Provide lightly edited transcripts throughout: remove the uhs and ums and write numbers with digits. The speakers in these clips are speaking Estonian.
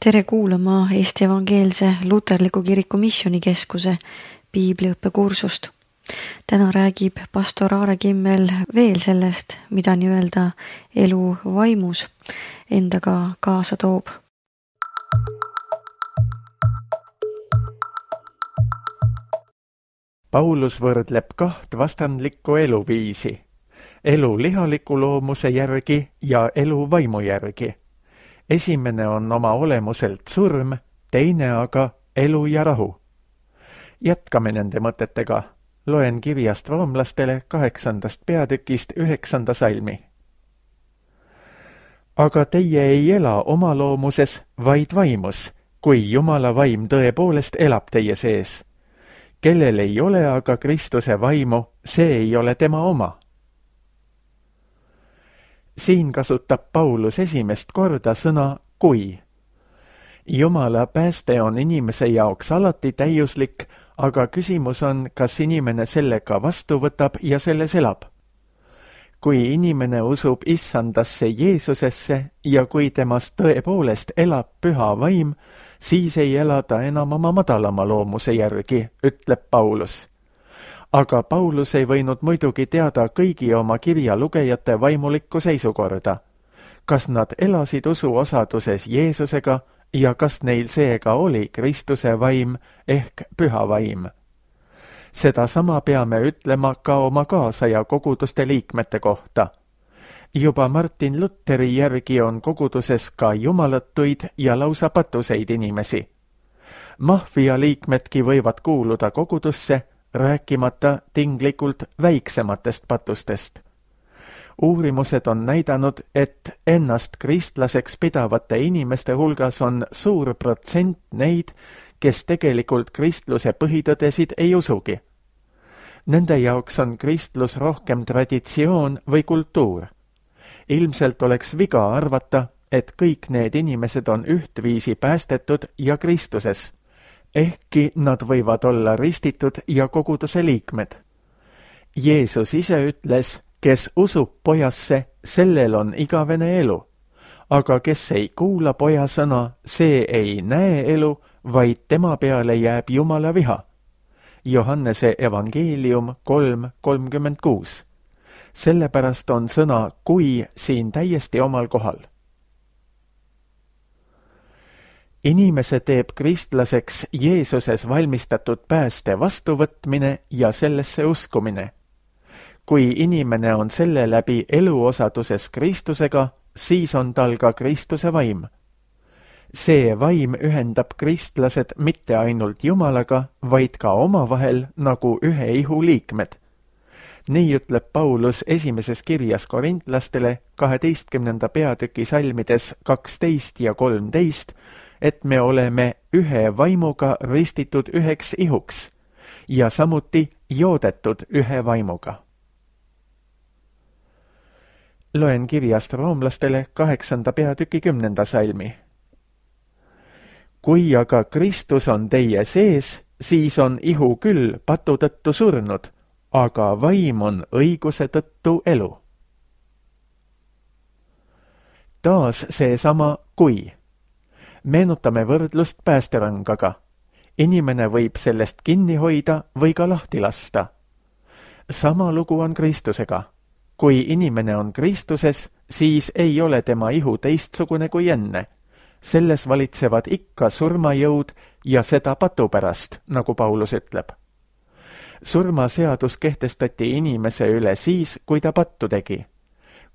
Tere kuulama Eesti Evangeelse Luterliku Kiriku Missioonikeskuse piibliõppekursust. Täna räägib pastor Aare Kimmel veel sellest, mida nii-öelda elu vaimus endaga kaasa toob. Paulus võrdleb kaht vastandlikku eluviisi, elu lihaliku loomuse järgi ja elu vaimu järgi. Esimene on oma olemuselt surm, teine aga elu ja rahu. Jätkame nende mõtetega. Loen kirjast roomlastele 8. peatükist 9. salmi. Aga teie ei ela oma loomuses, vaid vaimus, kui Jumala vaim tõepoolest elab teie sees. Kellel ei ole aga Kristuse vaimu, see ei ole tema oma. Siin kasutab Paulus esimest korda sõna kui. Jumala pääste on inimese jaoks alati täiuslik, aga küsimus on, kas inimene sellega vastu võtab ja selles elab. Kui inimene usub Issandasse Jeesusesse ja kui temast tõepoolest elab püha vaim, siis ei ela ta enam oma madalama loomuse järgi, ütleb Paulus. Aga Paulus ei võinud muidugi teada kõigi oma kirja lugejate vaimulikku seisukorda. Kas nad elasid usuosaduses Jeesusega ja kas neil seega oli Kristuse vaim ehk püha vaim? Seda sama peame ütlema ka oma kaasaja koguduste liikmete kohta. Juba Martin Lutheri järgi on koguduses ka jumalatuid ja lausa patuseid inimesi. Maffia liikmedki võivad kuuluda kogudusse, rääkimata tinglikult väiksematest patustest. Uurimused on näidanud, et ennast kristlaseks pidavate inimeste hulgas on suur protsent neid, kes tegelikult kristluse põhitõdesid ei usugi. Nende jaoks on kristlus rohkem traditsioon või kultuur. Ilmselt oleks viga arvata, et kõik need inimesed on ühtviisi päästetud ja Kristuses, ehkki nad võivad olla ristitud ja koguduse liikmed. Jeesus ise ütles, kes usub pojasse, sellel on igavene elu, aga kes ei kuula poja sõna, see ei näe elu, vaid tema peale jääb Jumala viha. Johannese evangeelium 3:36. Sellepärast on sõna kui siin täiesti omal kohal. Inimese teeb kristlaseks Jeesuses valmistatud pääste vastuvõtmine ja sellesse uskumine. Kui inimene on selle läbi eluosaduses Kristusega, siis on tal ka Kristuse vaim. See vaim ühendab kristlased mitte ainult Jumalaga, vaid ka omavahel nagu ühe ihu liikmed. Nii ütleb Paulus esimeses kirjas korintlastele 12. peatüki salmides 12 ja 13, et me oleme ühe vaimuga ristitud üheks ihuks ja samuti joodetud ühe vaimuga. Loen kirjast roomlastele 8. peatüki 10. salmi. Kui aga Kristus on teie sees, siis on ihu küll patu tõttu surnud, aga vaim on õiguse tõttu elu. Taas seesama kui. Meenutame võrdlust päästerangaga. Inimene võib sellest kinni hoida või ka lahti lasta. Sama lugu on Kristusega. Kui inimene on Kristuses, siis ei ole tema ihu teistsugune kui enne. Selles valitsevad ikka surmajõud ja seda patu pärast, nagu Paulus ütleb. Surmaseadus kehtestati inimese üle siis, kui ta pattu tegi.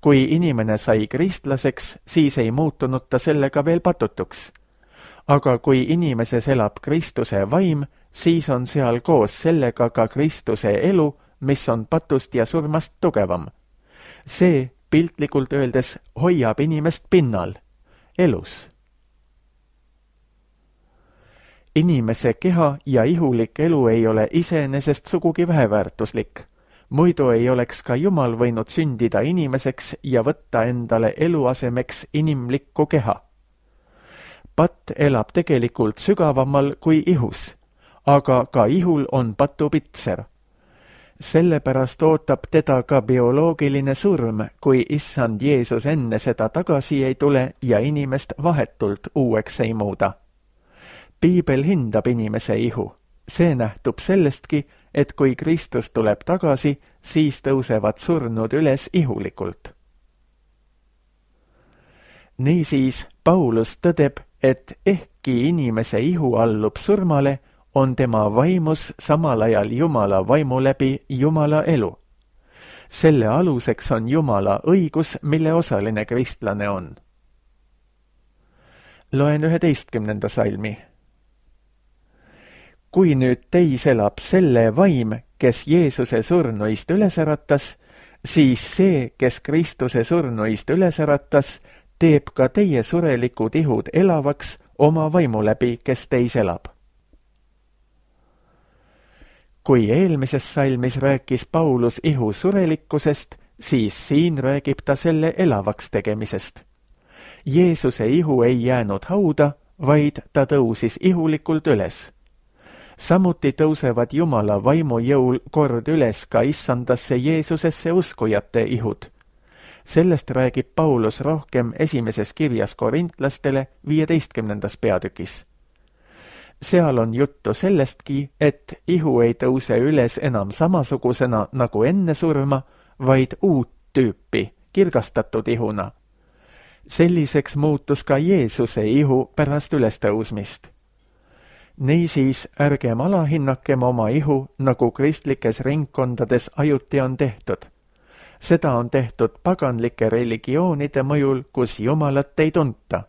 Kui inimene sai kristlaseks, siis ei muutunud ta sellega veel patutuks. Aga kui inimeses elab Kristuse vaim, siis on seal koos sellega ka Kristuse elu, mis on patust ja surmast tugevam. See, piltlikult öeldes, hoiab inimest pinnal, elus. Inimese keha ja ihulik elu ei ole iseenesest sugugi väheväärtuslik. Muidu ei oleks ka Jumal võinud sündida inimeseks ja võtta endale eluasemeks inimlikku keha. Patt elab tegelikult sügavamal kui ihus, aga ka ihul on patupitser. Sellepärast ootab teda ka bioloogiline surm, kui issand Jeesus enne seda tagasi ei tule ja inimest vahetult uueks ei muuda. Piibel hindab inimese ihu. See nähtub sellestki, et kui Kristus tuleb tagasi, siis tõusevad surnud üles ihulikult. Niisiis, Paulus tõdeb, et ehkki inimese ihu allub surmale, on tema vaimus samal ajal Jumala vaimu läbi Jumala elu. Selle aluseks on Jumala õigus, mille osaline kristlane on. Loen 11. salmi. Kui nüüd teis elab selle vaim, kes Jeesuse surnuist üles äratas, siis see, kes Kristuse surnuist üles äratas, teeb ka teie surelikud ihud elavaks oma vaimu läbi, kes teis elab. Kui eelmises salmis rääkis Paulus ihu surelikkusest, siis siin räägib ta selle elavaks tegemisest. Jeesuse ihu ei jäänud hauda, vaid ta tõusis ihulikult üles. Samuti tõusevad Jumala vaimu jõul kord üles ka issandasse Jeesusesse uskujate ihud. Sellest räägib Paulus rohkem esimeses kirjas korintlastele 15. peatükis. Seal on juttu sellestki, et ihu ei tõuse üles enam samasugusena nagu enne surma, vaid uut tüüpi, kirgastatud ihuna. Selliseks muutus ka Jeesuse ihu pärast ülestõusmist. Niisiis ärgem alahinnakem oma ihu, nagu kristlikes ringkondades ajuti on tehtud. Seda on tehtud paganlike religioonide mõjul, kus Jumalat ei tunta.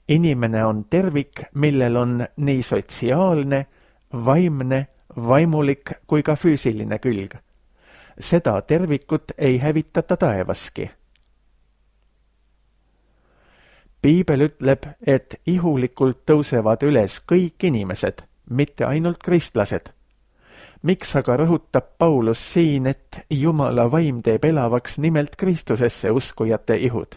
Inimene on tervik, millel on nii sotsiaalne, vaimne, vaimulik kui ka füüsiline külg. Seda tervikut ei hävitata taevaski. Piibel ütleb, et ihulikult tõusevad üles kõik inimesed, mitte ainult kristlased. Miks aga rõhutab Paulus siin, et Jumala vaim teeb elavaks nimelt Kristusesse uskujate ihud?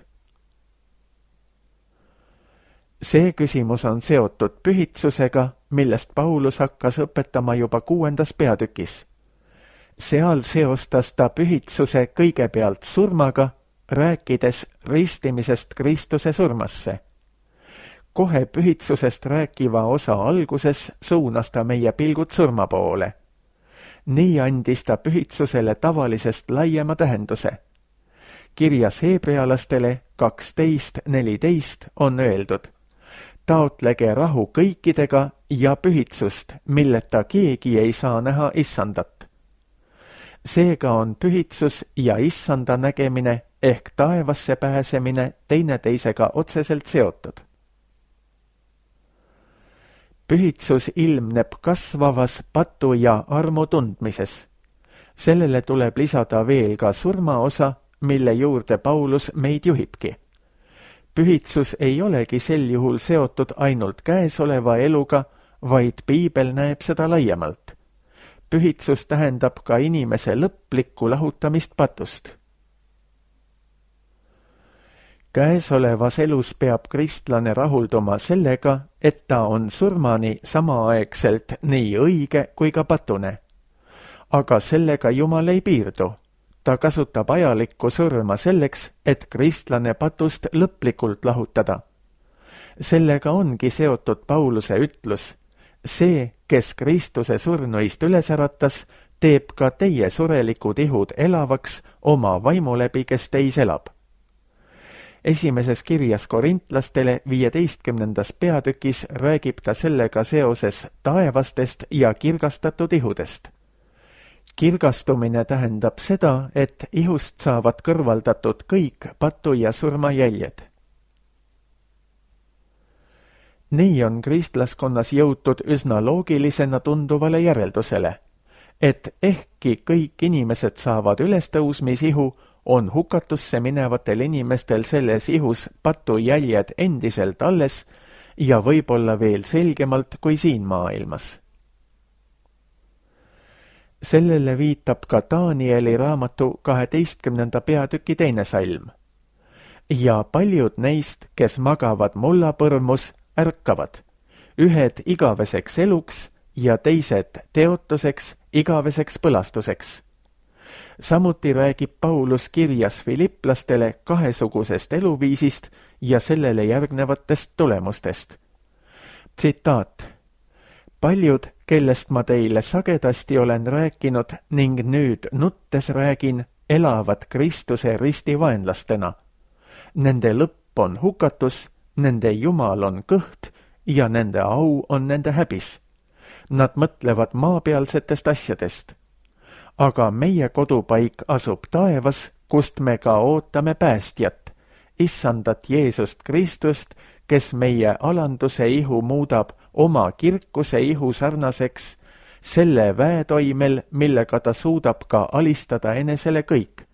See küsimus on seotud pühitsusega, millest Paulus hakkas õpetama juba 6. peatükis. Seal seostas ta pühitsuse kõigepealt surmaga, rääkides ristimisest Kristuse surmasse. Kohe pühitsusest rääkiva osa alguses suunas ta meie pilgud surma poole. Nii andis ta pühitsusele tavalisest laiema tähenduse. Kirjas heebrealastele 12:14 on öeldud: taotlege rahu kõikidega ja pühitsust, milleta keegi ei saa näha issandat. Seega on pühitsus ja issanda nägemine ehk taevasse pääsemine teineteisega otseselt seotud. Pühitsus ilmneb kasvavas patu ja armu tundmises. Sellele tuleb lisada veel ka surmaosa, mille juurde Paulus meid juhibki. Pühitsus ei olegi sel juhul seotud ainult käesoleva eluga, vaid Piibel näeb seda laiemalt. Pühitsus tähendab ka inimese lõplikku lahutamist patust. Käesolevas elus peab kristlane rahulduma sellega, et ta on surmani samaaegselt nii õige kui ka patune. Aga sellega Jumal ei piirdu. Ta kasutab ajalikku surma selleks, et kristlane patust lõplikult lahutada. Sellega ongi seotud Pauluse ütlus: see, kes Kristuse surnuist üles äratas, teeb ka teie surelikud ihud elavaks oma vaimu läbi, kes teis elab. Esimeses kirjas korintlastele 15. peatükis räägib ta sellega seoses taevastest ja kirgastatud ihudest. Kirgastumine tähendab seda, et ihust saavad kõrvaldatud kõik patu ja surma jäljed. Nii on kristlaskonnas jõutud üsna loogilisena tunduvale järeldusele, et ehkki kõik inimesed saavad ülestõusmisihu, on hukatusse minevatel inimestel selles ihus patu jäljed endiselt alles ja võib-olla veel selgemalt kui siin maailmas. Sellele viitab ka Danieli raamatu 12. peatüki 2. salm. Ja paljud neist, kes magavad mullapõrmus, ärkavad, ühed igaveseks eluks ja teised teotuseks igaveseks põlastuseks. Samuti räägib Paulus kirjas filiplastele kahesugusest eluviisist ja sellele järgnevatest tulemustest. Tsitaat. Paljud, kellest ma teile sagedasti olen rääkinud ning nüüd nuttes räägin, elavad Kristuse ristivaenlastena. Nende lõpp on hukatus, nende jumal on kõht ja nende au on nende häbis. Nad mõtlevad maapealsetest asjadest. Aga meie kodupaik asub taevas, kust me ka ootame päästjat, issandat Jeesust Kristust, kes meie alanduse ihu muudab oma kirkuse ihu sarnaseks, selle väetoimel, millega ta suudab ka alistada enesele kõik.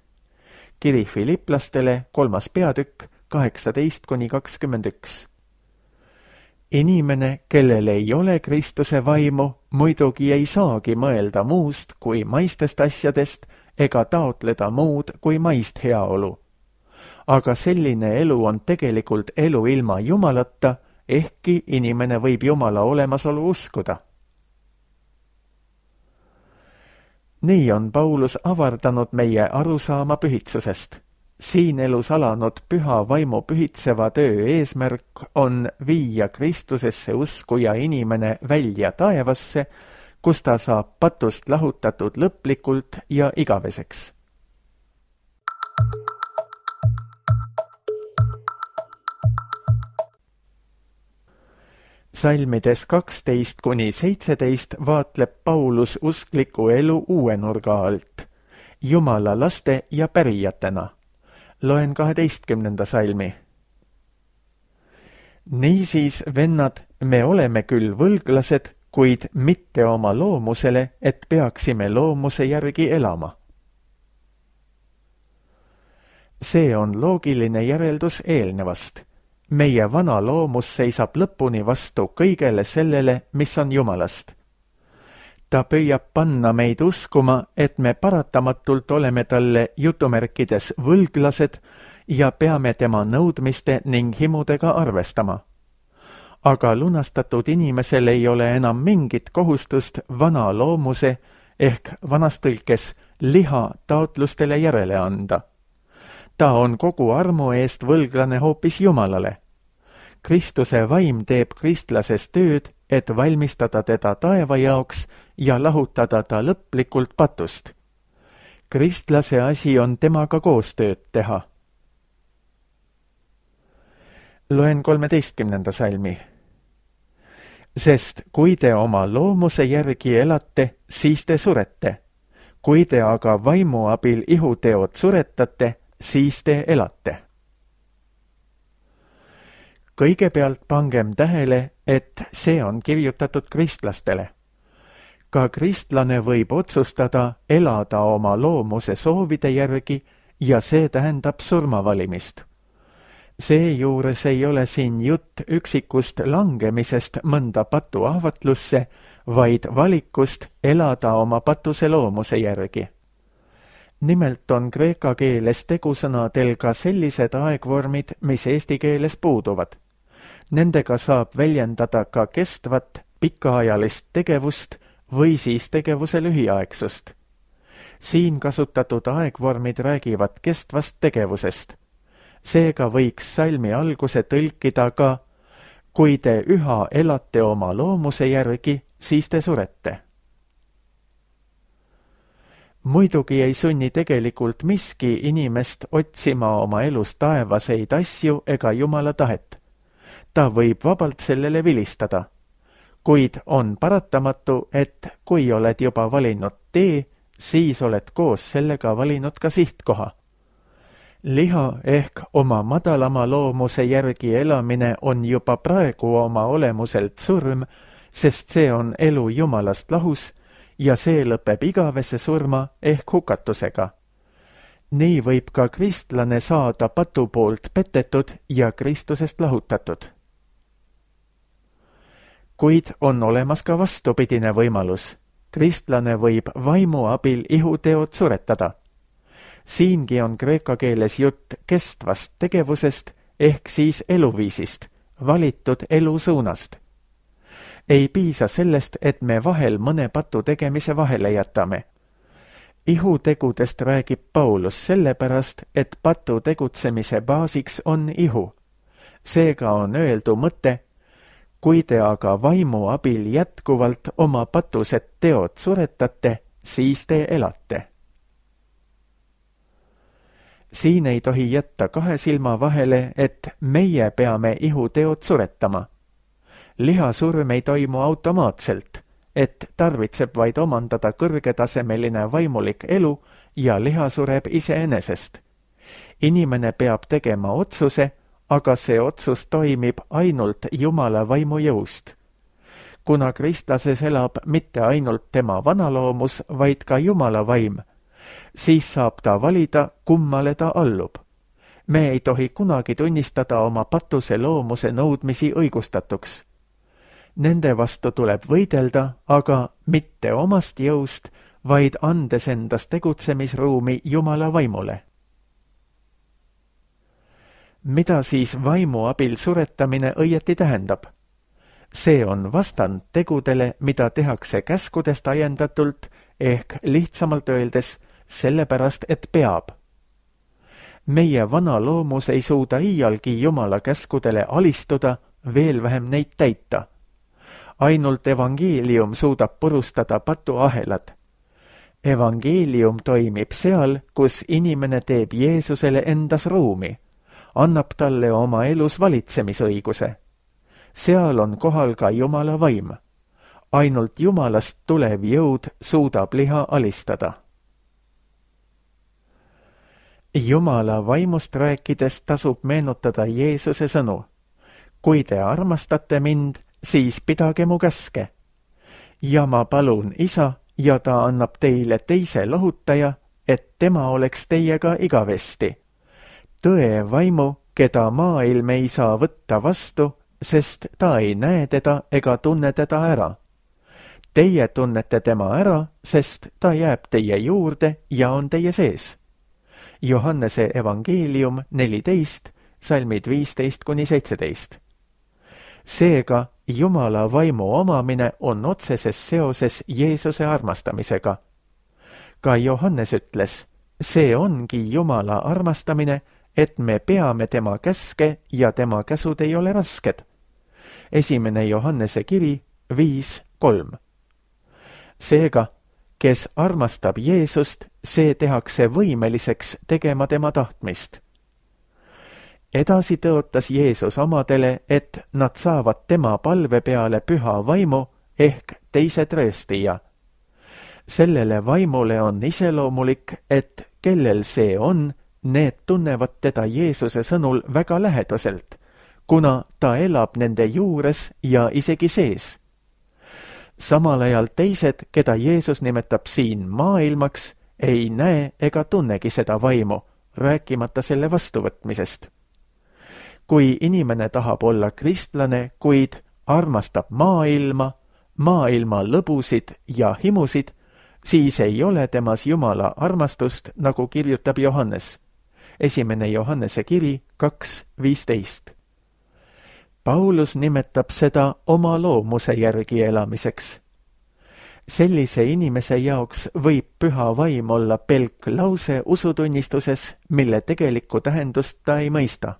Kiri filiplastele 3. peatükk 18-21. Inimene, kellel ei ole Kristuse vaimu, muidugi ei saagi mõelda muust kui maistest asjadest ega taotleda muud kui maist heaolu. Aga selline elu on tegelikult elu ilma Jumalata, ehkki inimene võib Jumala olemasolu uskuda. Nii on Paulus avardanud meie arusaama pühitsusest. Siin elus alanud püha vaimu pühitseva töö eesmärk on viia Kristusesse uskuja inimene välja taevasse, kus ta saab patust lahutatud lõplikult ja igaveseks. Salmides 12-17 vaatleb Paulus uskliku elu uue nurga alt, Jumala laste ja pärijatena. Loen 12. salmi. Niisiis, vennad, me oleme küll võlglased, kuid mitte oma loomusele, et peaksime loomuse järgi elama. See on loogiline järeldus eelnevast. Meie vana loomus seisab lõpuni vastu kõigele sellele, mis on Jumalast. Ta püüab panna meid uskuma, et me paratamatult oleme talle jutumärkides võlglased ja peame tema nõudmiste ning himudega arvestama. Aga lunastatud inimesel ei ole enam mingit kohustust vana loomuse ehk vanas tõlkes liha taotlustele järele anda. Ta on kogu armu eest võlglane hoopis Jumalale. Kristuse vaim teeb kristlases tööd, et valmistada teda taeva jaoks ja lahutada ta lõplikult patust. Kristlase asi on temaga koostööd teha. Loen 13. salmi. Sest kui te oma loomuse järgi elate, siis te surete. Kui te aga vaimu abil ihuteod suretate, siis te elate. Kõigepealt pangem tähele, et see on kirjutatud kristlastele. Ka kristlane võib otsustada elada oma loomuse soovide järgi ja see tähendab surmavalimist. Seejuures ei ole siin jutt üksikust langemisest mõnda patu ahvatlusse, vaid valikust elada oma patuse loomuse järgi. Nimelt on kreeka keeles tegusõnadel ka sellised aegvormid, mis eesti keeles puuduvad. Nendega saab väljendada ka kestvat, pikaajalist tegevust või siis tegevuse lühiaegsust. Siin kasutatud aegvormid räägivad kestvast tegevusest. Seega võiks salmi alguse tõlkida ka, kui te üha elate oma loomuse järgi, siis te surete. Muidugi ei sunni tegelikult miski inimest otsima oma elus taevaseid asju ega Jumala tahet. Ta võib vabalt sellele vilistada. Kuid on paratamatu, et kui oled juba valinud tee, siis oled koos sellega valinud ka sihtkoha. Liha ehk oma madalama loomuse järgi elamine on juba praegu oma olemuselt surm, sest see on elu Jumalast lahus ja see lõpeb igavese surma ehk hukatusega. Nii võib ka kristlane saada patu poolt petetud ja Kristusest lahutatud. Kuid on olemas ka vastupidine võimalus. Kristlane võib vaimu abil ihuteod suretada. Siingi on kreeka keeles jutt kestvast tegevusest ehk siis eluviisist, valitud elusuunast. Ei piisa sellest, et me vahel mõne patu tegemise vahele jätame. Ihutegudest räägib Paulus sellepärast, et patu tegutsemise baasiks on ihu. Seega on öeldu mõte, kui te aga vaimu abil jätkuvalt oma patused teod suretate, siis te elate. Siin ei tohi jätta kahe silma vahele, et meie peame ihuteod suretama. Lihasurm ei toimu automaatselt, et tarvitseb vaid omandada kõrgetasemeline vaimulik elu ja liha sureb iseenesest. Inimene peab tegema otsuse, aga see otsus toimib ainult Jumala vaimu jõust. Kuna kristlases elab mitte ainult tema vanaloomus, vaid ka Jumala vaim, siis saab ta valida, kummale ta allub. Me ei tohi kunagi tunnistada oma patuse loomuse nõudmisi õigustatuks. Nende vastu tuleb võidelda, aga mitte omast jõust, vaid andes endast tegutsemisruumi Jumala vaimule. Mida siis vaimu abil suretamine õieti tähendab? See on vastand tegudele, mida tehakse käskudest ajendatult, ehk lihtsamalt öeldes sellepärast, et peab. Meie vana loomus ei suuda iialgi Jumala käskudele alistuda, veel vähem neid täita. Ainult evangeelium suudab purustada patuahelad. Evangeelium toimib seal, kus inimene teeb Jeesusele endas ruumi, annab talle oma elus valitsemisõiguse. Seal on kohal ka Jumala vaim. Ainult Jumalast tulev jõud suudab liha alistada. Jumala vaimust rääkides tasub meenutada Jeesuse sõnu. Kui te armastate mind, siis pidage mu käske. Ja ma palun Isa, ja ta annab teile teise lohutaja, et tema oleks teiega igavesti. Tõe vaimu, keda maailm ei saa võtta vastu, sest ta ei näe teda ega tunne teda ära. Teie tunnete tema ära, sest ta jääb teie juurde ja on teie sees. Johannese evangeelium 14, salmid 15-17. Seega Jumala vaimu omamine on otseses seoses Jeesuse armastamisega. Ka Johannes ütles, see ongi Jumala armastamine, et me peame tema käske ja tema käsud ei ole rasked. 1. Johannese kiri 5:3. Seega, kes armastab Jeesust, see tehakse võimeliseks tegema tema tahtmist. Edasi tõotas Jeesus omadele, et nad saavad tema palve peale püha vaimu ehk teise trööstija. Sellele vaimule on iseloomulik, et kellel see on, need tunnevad teda Jeesuse sõnul väga lähedaselt, kuna ta elab nende juures ja isegi sees. Samal ajal teised, keda Jeesus nimetab siin maailmaks, ei näe ega tunnegi seda vaimu, rääkimata selle vastuvõtmisest. Kui inimene tahab olla kristlane, kuid armastab maailma lõbusid ja himusid, siis ei ole temas Jumala armastust, nagu kirjutab Johannes. 1. Johannese kiri 2:15. Paulus nimetab seda oma loomuse järgi elamiseks. Sellise inimese jaoks võib püha vaim olla pelk lause usutunnistuses, mille tegelikku tähendust ta ei mõista.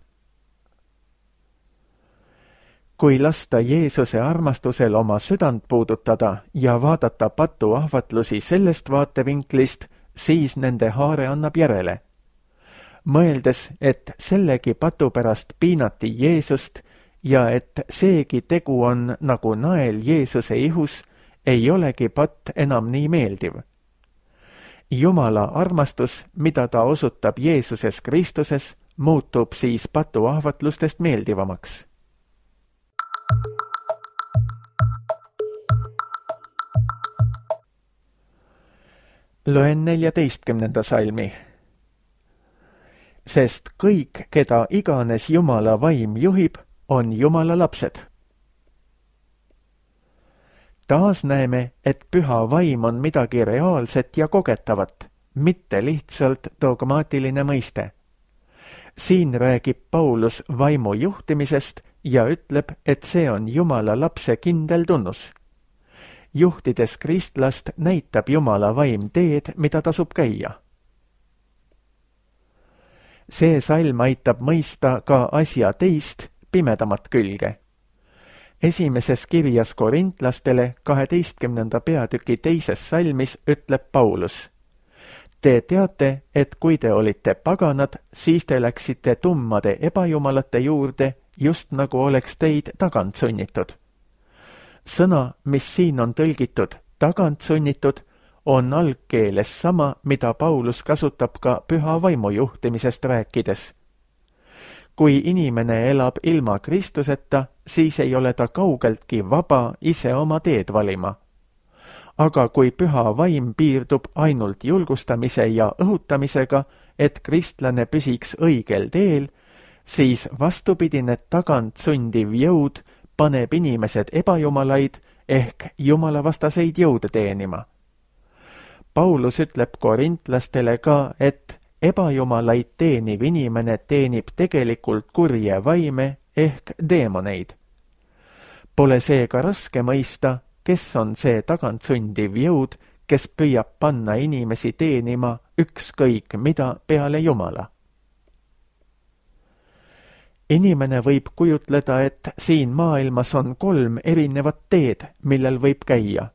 Kui lasta Jeesuse armastusel oma südant puudutada ja vaadata patuahvatlusi sellest vaatevinklist, siis nende haare annab järele. Mõeldes, et sellegi patu pärast piinati Jeesust ja et seegi tegu on nagu nael Jeesuse ihus, ei olegi patt enam nii meeldiv. Jumala armastus, mida ta osutab Jeesuses Kristuses, muutub siis patuahvatlustest meeldivamaks. Loen 14. salmi. Sest kõik, keda iganes Jumala vaim juhib, on Jumala lapsed. Taas näeme, et püha vaim on midagi reaalset ja kogetavat, mitte lihtsalt dogmaatiline mõiste. Siin räägib Paulus vaimu juhtimisest ja ütleb, et see on Jumala lapse kindel tunnus. juhtides kristlast näitab Jumala vaim teed, mida tasub käia. See salm aitab mõista ka asja teist, pimedamat külge. Esimeses kirjas korintlastele 12. peatüki 2. salmis ütleb Paulus: Te teate, et kui te olite paganad, siis te läksite tummade ebajumalate juurde, just nagu oleks teid tagant sunnitud. Sõna, mis siin on tõlgitud tagant sunnitud, on algkeeles sama, mida Paulus kasutab ka püha vaimu juhtimisest rääkides. Kui inimene elab ilma Kristuseta, siis ei ole ta kaugeltki vaba ise oma teed valima. Aga kui püha vaim piirdub ainult julgustamise ja õhutamisega, et kristlane püsiks õigel teel, siis vastupidine tagant sundiv jõud paneb inimesed ebajumalaid ehk jumalavastaseid jõude teenima. Paulus ütleb korintlastele ka, et ebajumalaid teeniv inimene teenib tegelikult kurje vaime ehk deemoneid. Pole seega raske mõista, kes on see tagantsundiv jõud, kes püüab panna inimesi teenima ükskõik mida peale Jumala. Inimene võib kujutleda, et siin maailmas on 3 erinevat teed, millel võib käia.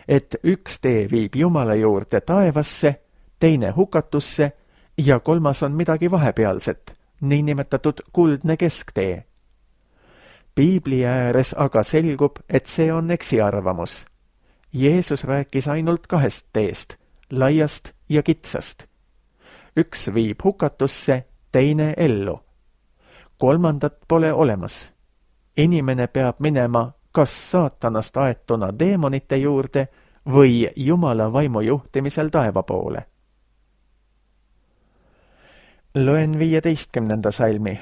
Et üks tee viib Jumala juurde taevasse, teine hukatusse ja 3. on midagi vahepealset, niinimetatud kuldne kesktee. Piibli ääres aga selgub, et see on eksiarvamus. Jeesus rääkis ainult 2 teest, laiast ja kitsast. Üks viib hukatusse, teine ellu. 3. pole olemas. Inimene peab minema kas saatanast aetuna deemonite juurde või Jumala vaimu juhtimisel taeva poole. Loen 15. salmi.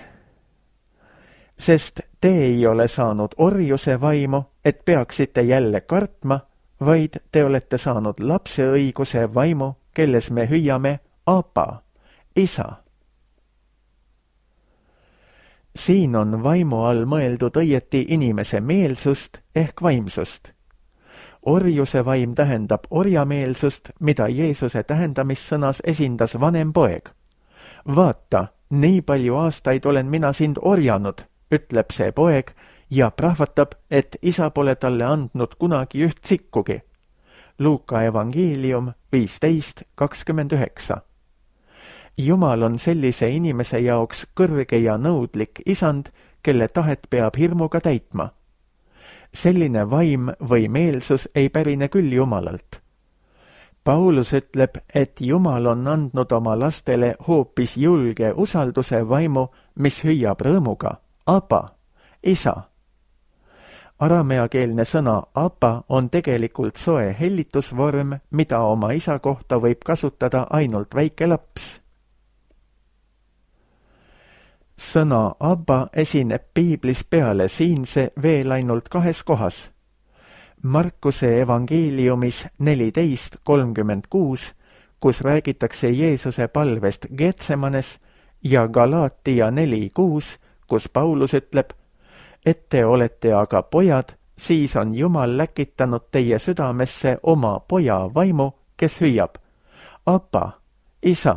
Sest te ei ole saanud orjuse vaimu, et peaksite jälle kartma, vaid te olete saanud lapseõiguse vaimu, kelles me hüüame Apa, isa. Siin on vaimu all mõeldud õieti inimese meelsust ehk vaimsust. Orjuse vaim tähendab orjameelsust, mida Jeesuse tähendamissõnas esindas vanem poeg. Vaata, nii palju aastaid olen mina sind orjanud, ütleb see poeg ja prahvatab, et isa pole talle andnud kunagi üht sikkugi. Luuka evangeelium 15:29. Jumal on sellise inimese jaoks kõrge ja nõudlik isand, kelle tahet peab hirmuga täitma. Selline vaim või meelsus ei pärine küll Jumalalt. Paulus ütleb, et Jumal on andnud oma lastele hoopis julge usalduse vaimu, mis hüüab rõõmuga Apa, isa. Arameakeelne sõna Apa on tegelikult soe hellitusvorm, mida oma isa kohta võib kasutada ainult väike laps. Sõna Abba esineb piiblis peale siinse veel ainult 2 kohas. Markuse evangeeliumis 14:36, kus räägitakse Jeesuse palvest Getsemanes, ja Galaatia 4:6, kus Paulus ütleb, et te olete aga pojad, siis on Jumal läkitanud teie südamesse oma poja vaimu, kes hüüab Apa, isa.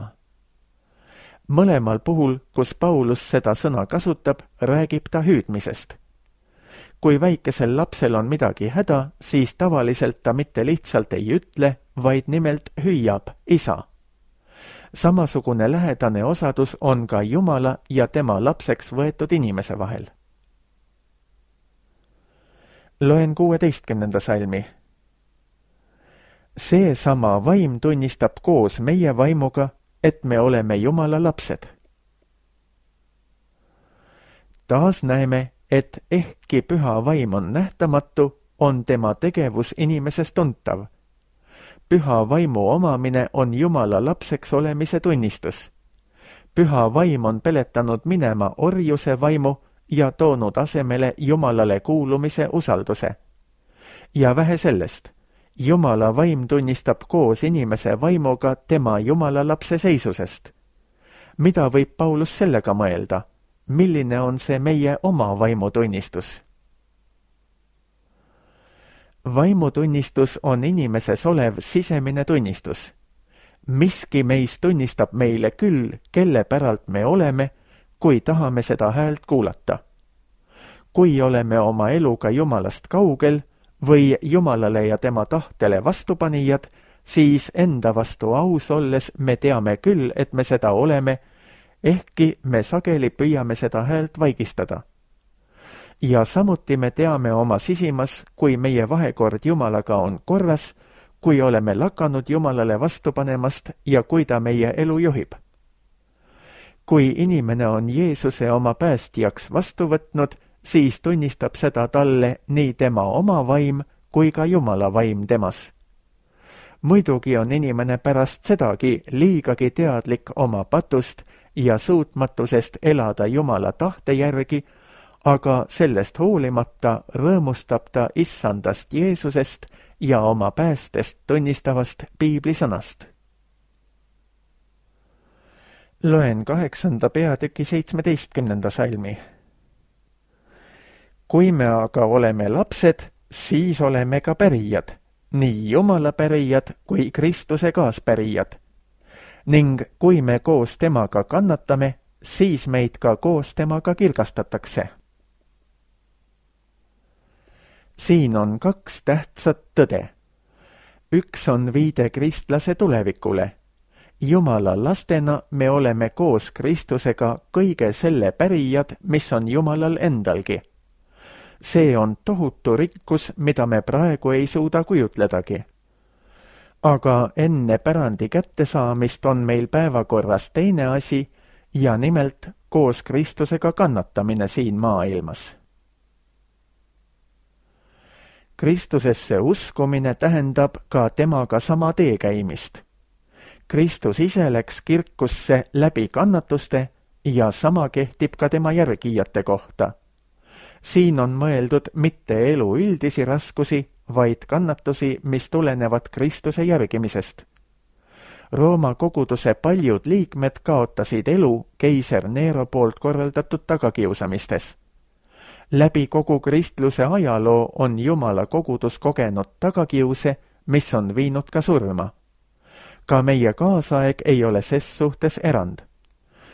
Mõlemal puhul, kus Paulus seda sõna kasutab, räägib ta hüüdmisest. Kui väikesel lapsel on midagi häda, siis tavaliselt ta mitte lihtsalt ei ütle, vaid nimelt hüüab isa. Samasugune lähedane osadus on ka Jumala ja tema lapseks võetud inimese vahel. Loen 16. salmi. Seesama vaim tunnistab koos meie vaimuga, et me oleme Jumala lapsed. Taas näeme, et ehkki püha vaim on nähtamatu, on tema tegevus inimeses tuntav. Püha vaimu omamine on Jumala lapseks olemise tunnistus. Püha vaim on peletanud minema orjuse vaimu ja toonud asemele Jumalale kuulumise usalduse. Ja vähe sellest, Jumala vaim tunnistab koos inimese vaimuga tema Jumala lapse seisusest. Mida võib Paulus sellega mõelda? Milline on see meie oma vaimutunnistus? Vaimutunnistus on inimeses olev sisemine tunnistus. Miski meis tunnistab meile küll, kelle päralt me oleme, kui tahame seda häält kuulata. Kui oleme oma eluga Jumalast kaugel või Jumalale ja tema tahtele vastupanijad, siis enda vastu aus olles me teame küll, et me seda oleme, ehkki me sageli püüame seda häält vaigistada. Ja samuti me teame oma sisimas, kui meie vahekord Jumalaga on korras, kui oleme lakanud Jumalale vastu panemast ja kui ta meie elu juhib. Kui inimene on Jeesuse oma päästjaks vastu võtnud, siis tunnistab seda talle nii tema oma vaim kui ka Jumala vaim temas. Muidugi on inimene pärast sedagi liigagi teadlik oma patust ja suutmatusest elada Jumala tahte järgi, aga sellest hoolimata rõõmustab ta issandast Jeesusest ja oma päästest tunnistavast piiblisõnast. Loen 8. peatüki 17. salmi. Kui me aga oleme lapsed, siis oleme ka pärijad, nii Jumala pärijad kui Kristuse kaaspärijad. Ning kui me koos temaga kannatame, siis meid ka koos temaga kirgastatakse. Siin on 2 tähtsat tõde. Üks on viide kristlase tulevikule. Jumala lastena me oleme koos Kristusega kõige selle pärijad, mis on Jumalal endalgi. See on tohutu rikkus, mida me praegu ei suuda kujutledagi. Aga enne pärandi kättesaamist on meil päevakorras teine asi ja nimelt koos Kristusega kannatamine siin maailmas. Kristusesse uskumine tähendab ka temaga sama tee käimist. Kristus ise läks kirkusse läbi kannatuste ja sama kehtib ka tema järgijate kohta. Siin on mõeldud mitte elu üldisi raskusi, vaid kannatusi, mis tulenevad Kristuse järgimisest. Rooma koguduse paljud liikmed kaotasid elu keiser Nero poolt korraldatud tagakiusamistes. Läbi kogu kristluse ajaloo on Jumala kogudus kogenud tagakiuse, mis on viinud ka surma. Ka meie kaasaeg ei ole ses suhtes erand.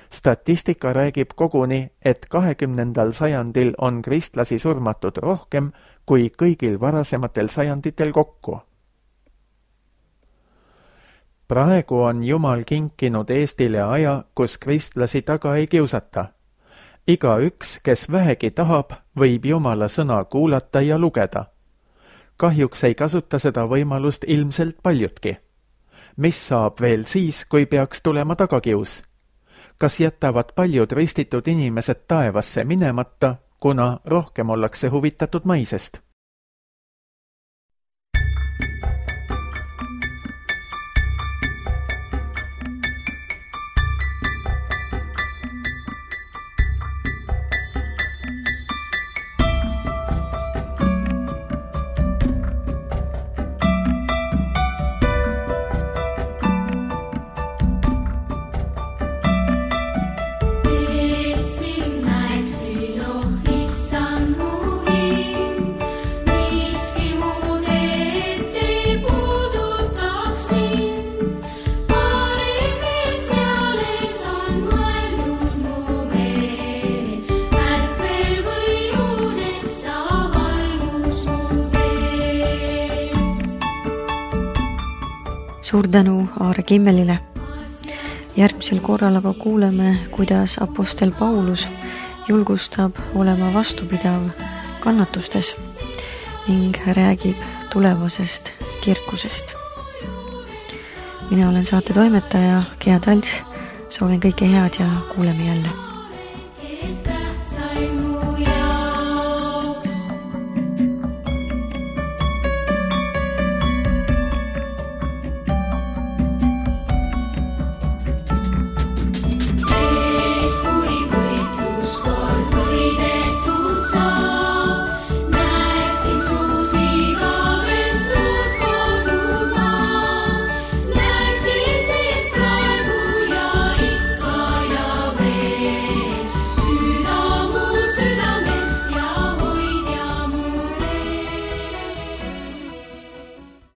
Statistika räägib koguni, et 20. sajandil on kristlasi surmatud rohkem kui kõigil varasematel sajanditel kokku. Praegu on Jumal kinkinud Eestile aja, kus kristlasi taga ei kiusata. Igaüks, kes vähegi tahab, võib Jumala sõna kuulata ja lugeda. Kahjuks ei kasuta seda võimalust ilmselt paljudki. Mis saab veel siis, kui peaks tulema tagakius? Kas jätavad paljud ristitud inimesed taevasse minemata, kuna rohkem ollakse huvitatud maisest? Suur tänu Aare Kimmelile. Järgmisel korral aga kuuleme, kuidas apostel Paulus julgustab olema vastupidav kannatustes ning räägib tulevasest kirkusest. Mina olen saate toimetaja Gea Talts, soovin kõike head ja kuuleme jälle.